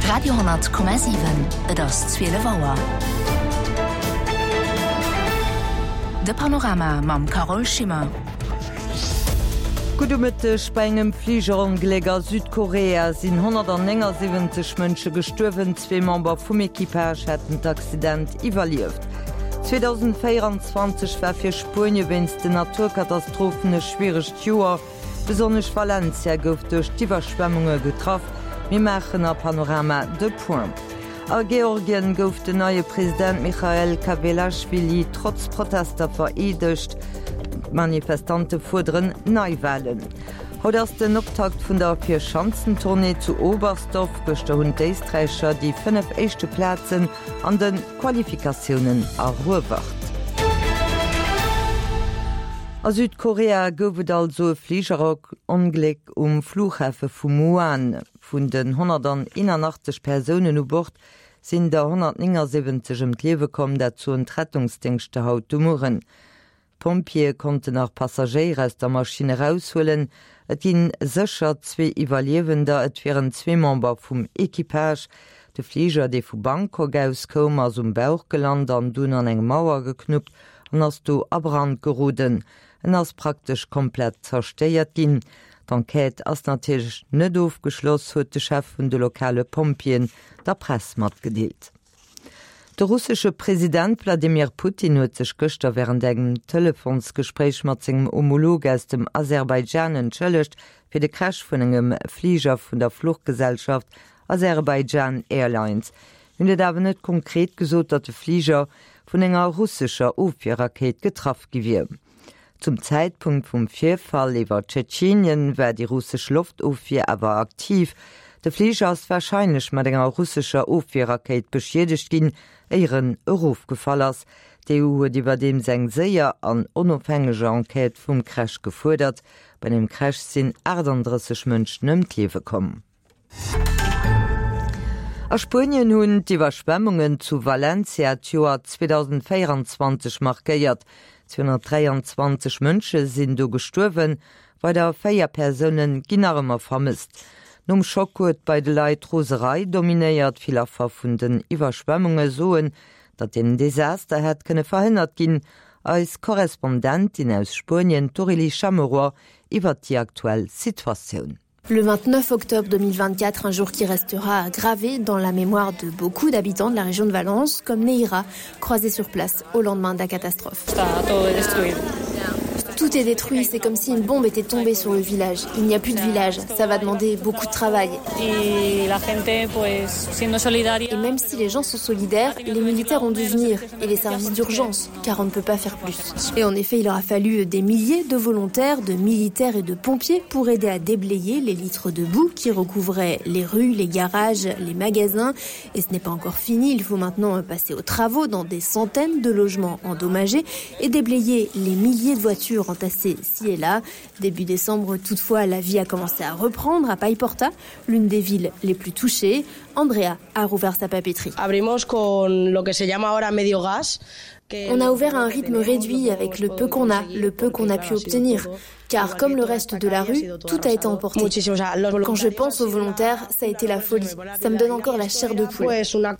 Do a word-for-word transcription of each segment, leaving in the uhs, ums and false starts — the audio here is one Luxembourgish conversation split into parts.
Radio honnert Komma siwen, Et ass zwielef Auer. De Panorama mam Carole Schimmer. Gudde Mëtteg, Bei engem Fligerongléck a Südkorea sinn honnertnéngasiwwenzeg Mënsche gestuerwen. Zwee Member vum Equipage hätten d'Accident iwwerlieft. zweedausendvéieranzwanzeg war fir Spuenie wéinst den Naturkatastrophen e schwieregt Joer. Besonnesch Valencia gouf duerch d'Iwwerschwemmunge getraff. Mir maachen a Panorama de Point. A Georgien gouf den neie President Michael Kawelaschwili trotz Protester vereedegt. D'Manifestante fuerderen Neiwalen. Haut ass den Optakt vun der Vierschanzentournée zu Oberstdorf. Gëschter hunn d'Éisträicher déi fënnef éischte Plazen an de Qualifikatiounen eruewert. A Südkorea gouf et also e Fligerongléck um Flughafe vu Muan. Vun den honnerteenanachtzeg Persounen u Bord sinn der honnertnéngasiwwenzeg ëm d'Liewe komm, dat soen d'Rettungsdéngschter haut de Mueren. D'Pompjeeë konnten nach Passagéier aus der Maschinn eraushuelen. Et ginn sécher zwee Iwwerliewender, et wieren zwee Member vum Equipage. De Fliger, dee vu Bangkok aus koum, ass um Bauch gelant an dunn an eng Mauer geknuppt an ass do a Brand geroden. En ass praktesch komplett zerstéiert ginn. D'Enquête ass natierlech net ofgeschloss, huet de Chef vun de lokale Pompjeeën der Press matgedeelt. De russesche President Wladimir Putin huet sech gëschter wärend engem Telefonsgespréich mat sengem Homolog aus dem Aserbaidschan entschëllegt fir de Crash vun engem Fliger vun der Fluchgesellschaft Azerbaijan Airlines. Hien huet awer net konkret gesot, datt de Fliger vun enger russescher Ofwierrakéit getraff gi wier. Zum Zäitpunkt vum Virfall iwwer Tschetschenien war déi russesch Loftofwier awer aktiv. De Fliger ass warscheinlech mat enger russescher Ofwierrakéit beschiedegt ginn, éier en erofgefall ass. D'EU huet iwwerdeems eng séier an onofhängeg Enquête vum Crash gefuerdert. Bei dem Crash sinn achtandrësseg Mënschen ëm d'Liewe komm. A Spuenien hunn d'Iwwerschwemmungen zu Valencia d'Joer zweedausendvéieranzwanzeg markéiert. zweehonnertdräianzwanzeg Mënsche sinn do gestuerwen, weider véier Persoune ginn nach ëmmer vermësst. Nom Schock huet bei de Leit Roserei dominéiert. Vill Affer vun den Iwwerschwemmunge soen, datt den Desaster hätt kënne verhënnert ginn. Eis Korrespondentin aus Spuenien, d'Aurélie Chameroy, iwwert déi aktuell Situatioun. Le vingt-neuf octobre deux mille vingt-quatre, un jour qui restera gravé dans la mémoire de beaucoup d'habitants de la région de Valence, comme Neira, croisée sur place au lendemain de la catastrophe. Tout est détruit, c'est comme si une bombe était tombée sur le village. Il n'y a plus de village, ça va demander beaucoup de travail. Et même si les gens sont solidaires, les militaires ont dû venir et les services d'urgence, car on ne peut pas faire plus. Et en effet, il aura fallu des milliers de volontaires, de militaires et de pompiers pour aider à déblayer les litres de boue qui recouvraient les rues, les garages, les magasins. Et ce n'est pas encore fini, il faut maintenant passer aux travaux dans des centaines de logements endommagés et déblayer les milliers de voitures entassées ci et là. Début décembre, toutefois, la vie a commencé à reprendre à Paiporta, l'une des villes les plus touchées. Andrea a rouvert sa papeterie. Abrimos con lo que se llama ahora medio gas. On a ouvert à un rythme réduit avec le peu qu'on a, le peu qu'on a pu obtenir. Car comme le reste de la rue, tout a été emporté. Quand je pense aux volontaires, ça a été la folie. Ça me donne encore la chair de poule.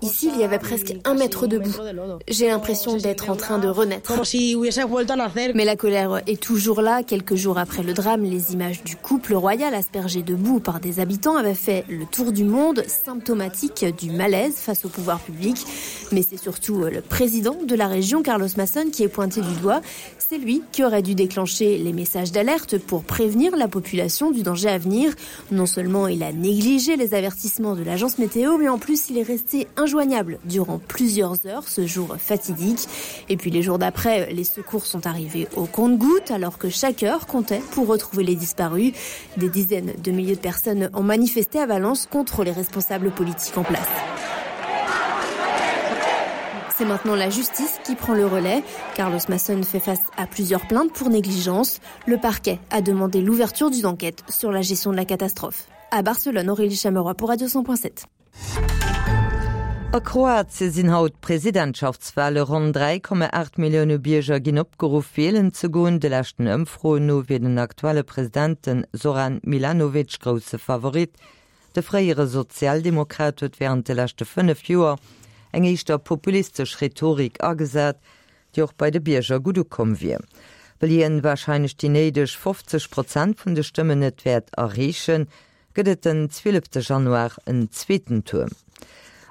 Ici, il y avait presque un mètre de boue. J'ai l'impression d'être en train de renaître. Mais la colère est toujours là. Quelques jours après le drame, les images du couple royal aspergé de boue par des habitants avaient fait le tour du monde, symptomatique du malaise face au pouvoir public. Mais c'est surtout le président de la région, Carlos Mazón, qui est pointé du doigt. C'est lui qui aurait dû déclencher les messages d'alerte pour prévenir la population du danger à venir. Non seulement il a négligé les avertissements de l'agence météo, mais en plus il est resté injoignable durant plusieurs heures ce jour fatidique. Et puis les jours d'après, les secours sont arrivés au compte-gouttes alors que chaque heure comptait pour retrouver les disparus. Des dizaines de milliers de personnes ont manifesté à Valence contre les responsables politiques en place. C'est maintenant la justice qui prend le relais. Carlos Mazón fait face à plusieurs plaintes pour négligence. Le parquet a demandé l'ouverture d'une enquête sur la gestion de la catastrophe. À Barcelone, Aurélie Chameroy pour Radio cent point sept. A Kroatie sinn haut d'Presidentschaftswale. Ronn dräi Komma aacht Millioune Bierger ginn opgeruff, wielen ze goen. De leschten Ëmfroen no wier den aktuelle President, den Zoran Milanovic, grousse Favorit. De fréiere Sozialdemokrat huet wärend de leschte fënnef Joer eng éischter populistesch Rhetorik agesat, déi och bei de Bierger gutt ukomm wier. Well hien warscheinlech déi néideg fofzeg Prozent vun de Stëmmen net wäert erreechen, gëtt et den zwielefte Januar en zweeten Tour.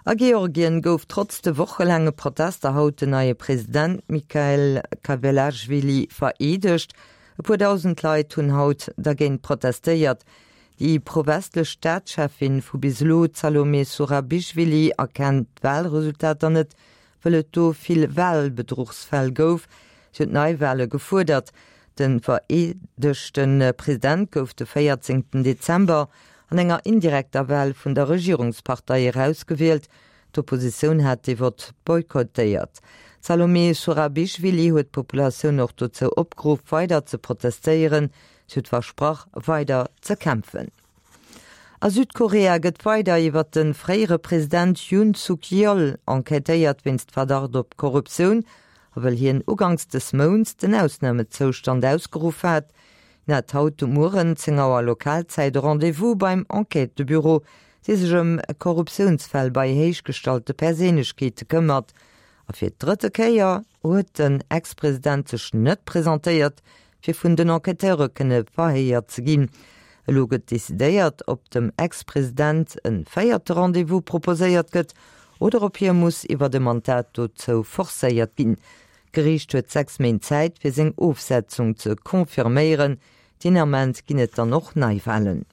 A Georgien gouf trotz de wochelaange Protester haut den neie President Mikheil Kavelashvili vereedegt. E puer dausend Leit hunn haut dergéint protestéiert. Déi pro-westlech Staatscheffin vu bis elo, d'Salome Surabischwili, erkennt d'Walresultater net, wëll et do vill Walbedruchsfäll gouf. Si huet Neiwale gefuerdert. De vereedegte President gouf de véierzéngten Dezember an enger indirekter Wal vun der Regierungspartei erausgewielt. D'Oppositioun hat dee Vott boykottéiert. D'Salome Surabischwili huet d'Populatioun och dozou opgeruff, weider ze protestéieren. Si huet versprach, weider ze kämpfen. A Südkorea gëtt weider iwwer de fréiere President Yoon Suk Yeol enquêtéiert wéinst Verdacht op Korruptioun a well hien uganks des Mounts den Ausnamezoustand ausgeruff hat. Hien hat haut de Mueren zéng Auer Lokalzäit e Rendez-vous beim Enquêtebüro, dee sech ëm Korruptiounsfäll bei héichgestallte Perséinlechkeete këmmert. A fir d'drëtte Kéier huet den Ex-President sech net presentéiert, fir vun den Enquêteure kënne verhéiert ze ginn. Elo gëtt decidéiert, ob dem Ex-President e véierte Rendez-vous proposéiert gëtt oder ob hie muss iwwer e Mandat dozou forcéiert ginn. D'Geriicht huet sechs Méint Zäit, fir seng Ofsetzung ze confirméieren. Deen Ament ginn et dann och Neiwalen.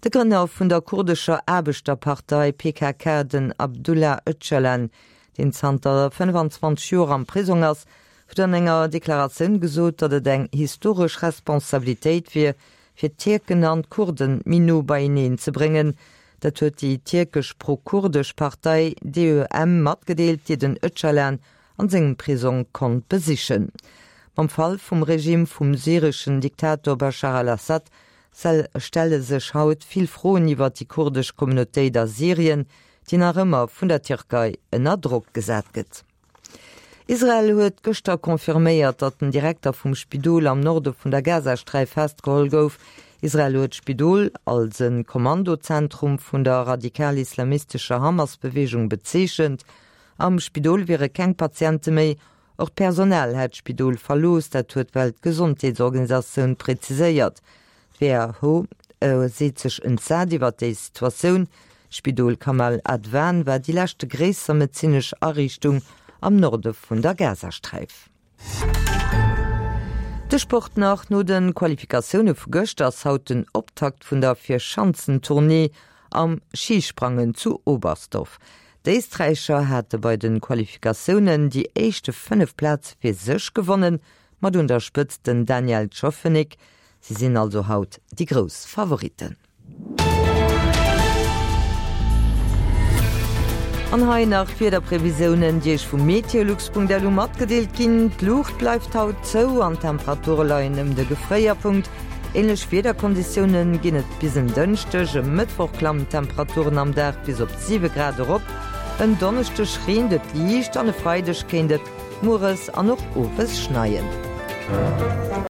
De Grënner vun der kurdescher Aarbechterpartei P K K, den Abdullah Öcalan, deen zanter fënnfanzwanzeg Joer am Prisong ass, huet an enger Deklaratioun gesot, datt et eng historesch Responsabilitéit wier, fir d'Tierken an d'Kurden méi no beieneen ze bréngen. Dat huet déi tierkesch pro-kurdesch Partei D E M matgedeelt, déi den Öcalan an sengem Prisong konnt besichen. Mam Fall vum Regime vum syreschen Diktator Bashar al-Assad stelle sech haut vill Froen iwwer déi kurdesch Communautéit a Syrien, déi nach ëmmer vun der Tierkei ënner Drock gesat gëtt. Israel huet gëschter confirméiert, datt den Direkter vum Spidol am Norde vun der Gazasträif festgeholl gouf. Israel huet d'Spidol als e Kommandozentrum vun der radikal-islamistescher Hamas-Beweegung bezeechent. Am Spidol wiere keng Patiente méi, och d'Personal hätt d'Spidol verlooss, dat huet d'Weltgesondheetsorganisatioun preziséiert. D'W H O seet sech entsat iwwer déi Situatioun. D'Spidol Kamal Adwan war déi leschte gréisser medezinesch Ariichtung am Norde vun der Gazasträif. De Sport nach, No de Qualifikatioune vu gëschter ass haut den Optakt vun der Vierschanzentournée am Schisprangen zu Oberstdorf. D'Éisträicher hate bei de Qualifikatiounen déi éischte fënnef Plaze fir sech gewonnen, mat un der Spëtzt den Daniel Tschofenig. Si sinn also haut déi grouss Favoritten. An hei nach d'Wiederprevisiounen, déi Iech vu meteolux Punkt L U matgedeelt ginn. D'Luucht bleift haut zou an d'Temperature leien ëm de Gefréierpunkt. Änlech Wiederkonditioune ginn et bis en Dënschdeg. E Mëttwoch klammen d'Temperaturen am Dag bis op siwe Grad erop. En Donneschdeg reent et liicht an e Freideg kéint et mueres an och owes schneien.